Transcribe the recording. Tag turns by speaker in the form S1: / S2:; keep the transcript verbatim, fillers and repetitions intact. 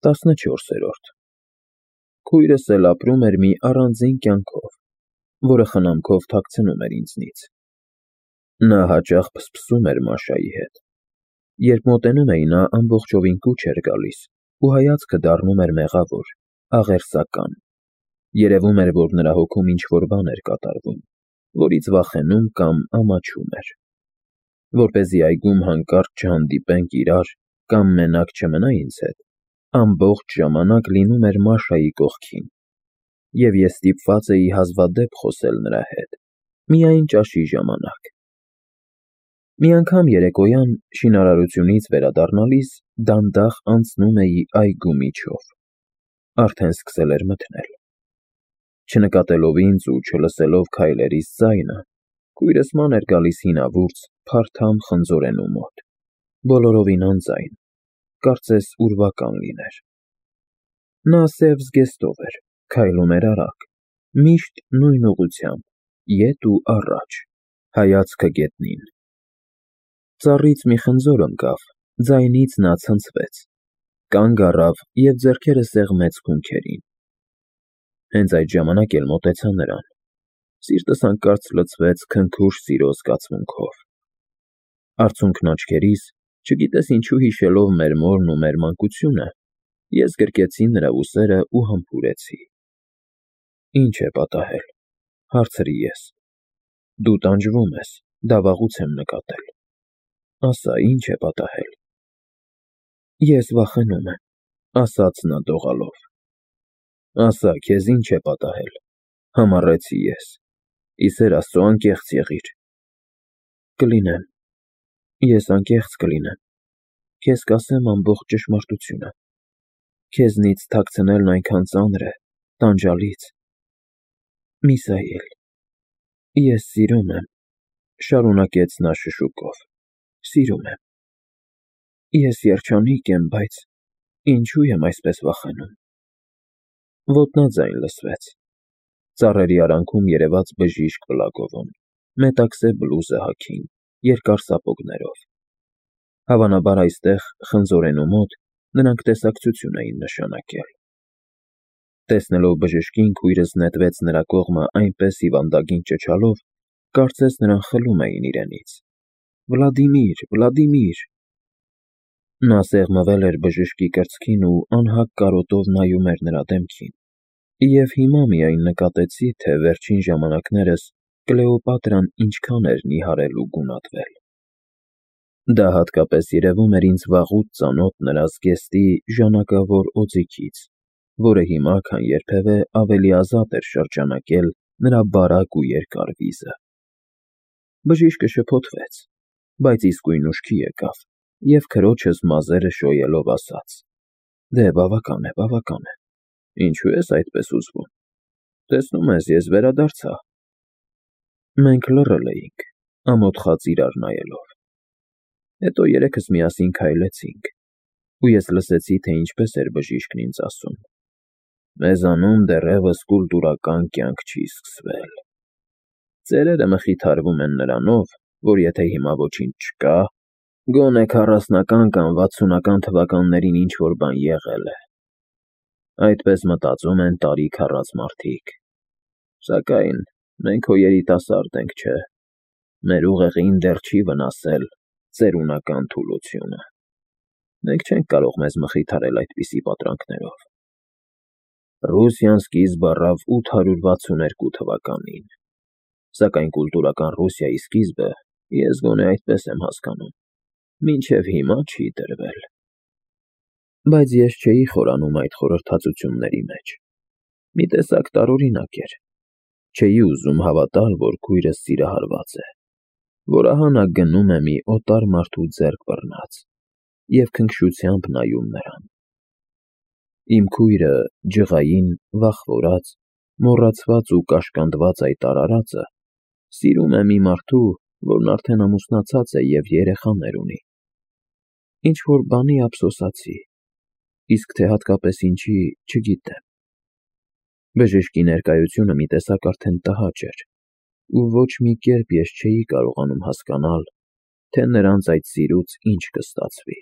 S1: տասնչորսերորդ Քույրս էլ ապրում էր մի առանձին կյանքով, որը խնամքով թաքցնում էր ինձնից. նա հաճախ փսփսում էր Մաշայի հետ. երբ մոտենում էի, նա ամբողջովին կուչ էր գալիս ու հայացքը դառնում էր մեղավոր, աղերսական. երևում էր, որ նրա հոգում ինչ-որ բան էր կատարվում, որից վախենում կամ ամաչում էր։ Որպեսզի այգում հանկարծ չհանդիպենք իրար կամ մենակ չմնա ինձ հետ, ամբողջ ժամանակ լինում էր Մաշայի կողքին, և ես ստիպված էի հազվադեպ խոսել նրա հետ, միայն ճաշի ժամանակ։ Մի անգամ երեկոյան, շինարարությունից վերադառնալիս, դանդաղ անցնում էի այգու միջով. արդեն սկսել էր մթնել։ Չնկատելով ինձ ու չլսելով քայլերիս ձայնը, քույրս ման էր գալիս հինավուրց, փարթամ խնձորենու մոտ, բոլորովին անձայն, կարծես ուրվական լիներ։ Նա սև զգեստով էր, քայլում էր արագ, միշտ նույն ուղղությամբ, ետ ու առաջ, հայացքը գետնին։ Ծառից մի խնձոր ընկավ, ձայնից նա ցնցվեց, կանգ առավ և ձեռքերը սեղմեց քունքերին։ Հենց այդ ժամանակ էլ մոտեցա նրան, սիրտս հանկարծ լցվեց քնքուշ սիրո զգացմունքով։ Արցունքն աչքերիս, չգիտես ինչու հիշելով մեր մորն ու մեր մանկությունը, ես գրկեցի նրա ուսերը ու համբուրեցի։ Ի՞նչ է պատահել, հարցրի ես։ Դու տանջվում ես, դա վաղուց եմ նկատել։ Ասա, ի՞նչ է պատահել։ Ես վախենում եմ, ասաց նա դողալով։ Ասա, քեզ ի՞նչ է պատահել, համառեցի ես, ի սեր Աստծո անկեղծ եղիր։ Կլինեմ, ես անկեղծ կլինեմ, քեզ կասեմ ամբողջ ճշմարտությունը, քեզնից թաքցնելն այնքան ծանր է, տանջալից։ Միսայել, ես սիրում եմ, շարունակեց նա շշուկով, սիրում եմ։ Ես երջանիկ եմ, բայց ինչու եմ այսպես վախենում։ Ոտնաձայն լսվեց։ Ծառերի արանքում երևաց բժիշկ Պլագովն, մետաքսե բլուզը հագին, երկար սապոգներով։ Հավանաբար այստեղ, խնձորենու մոտ, նրանք տեսակցություն էին նշանակել։ Տեսնելով բժշկին, քույրս նետվեց նրա կողմը այնպես հիվանդագին ճչալով, կարծես նրան խլում էին իրենից. Վլադիմիր, Վլադիմիր։ Նա սեղմվել էր բժշկի կրծքին ու անհագ կարոտով նայում էր նրա դեմքին, և հիմա միայն նկատեցի, թե վերջին ժամանակներս Կլեոպատրան ինչքան էր նիհարել ու գունատվել։ Դա հատկապես երևում էր ինձ վաղուց ծանոթ նրա զգեստի ժանակավոր օձիքից, որը հիմա, քան երբևէ, ավելի ազատ էր շրջանակել նրա բարակ ու երկար վիզը։ Բժիշկը շփոթվեց, բայց իսկույն ուշքի եկավ և քրոջս մազերը շոյելով ասաց. Դե, բավական է, բավական է, ինչու ես այդպես հուզվում, տեսնում ես, ես վերադարձա։ Մենք լռել էինք, ամոթխած իրար նայելով։ Հետո երեքս միասին քայլեցինք, ու ես լսեցի, թե ինչպես էր բժիշկն ինձ ասում. Մեզանում դեռևս կուլտուրական կյանք չի սկսվել։ Ծերերը մխիթարվում են նրանով, որ եթե հիմա ոչինչ չկա, գոնե քառասնական կամ վաթսունական թվականներին ինչ-որ բան եղել է։ Այդպես մտածում են տարիք առած մարդիկ։ Սակայն մենք հո երիտասարդ ենք, չէ՞։ Մեր ուղեղին դեռ չի վնասել ծերունական թուլությունը։ Մենք չենք կարող մեզ մխիթարել այդպիսի պատրանքներով։ Ռուսիան սկիզբ առավ ութ հարյուր վաթսուներկու թվականին, սակայն կուլտուրական Ռուսիայի սկիզբը, ես գոնե այդպես եմ հասկանում, մինչև հիմա չի դրվել։ Բայց ես չէի խորանում այդ խորհրդածությունների մեջ։ Մի տեսակ տարօրինակ էր։ Չէի ուզում հավատալ, որ քույրս սիրահարված է, որ ահա նա գնում է մի օտար մարդու ձեռք բռնած և քնքշությամբ նայում նրան։ Իմ քույրը, ջղային, վախվորած, մոռացված ու կաշկանդված այդ արարածը, սիրում է մի մարդու, որն արդեն ամուսնացած է և երեխաներ ունի։ Ինչ-որ բանի ափսոսացի, իսկ թե հատկապես ինչի, չգիտեմ։ Բժշկի ներկայությունը մի տեսակ արդեն տհաճ էր, ու ոչ մի կերպ ես չէի կարողանում հասկանալ, թե նրանց այդ սիրուց ինչ կստացվի։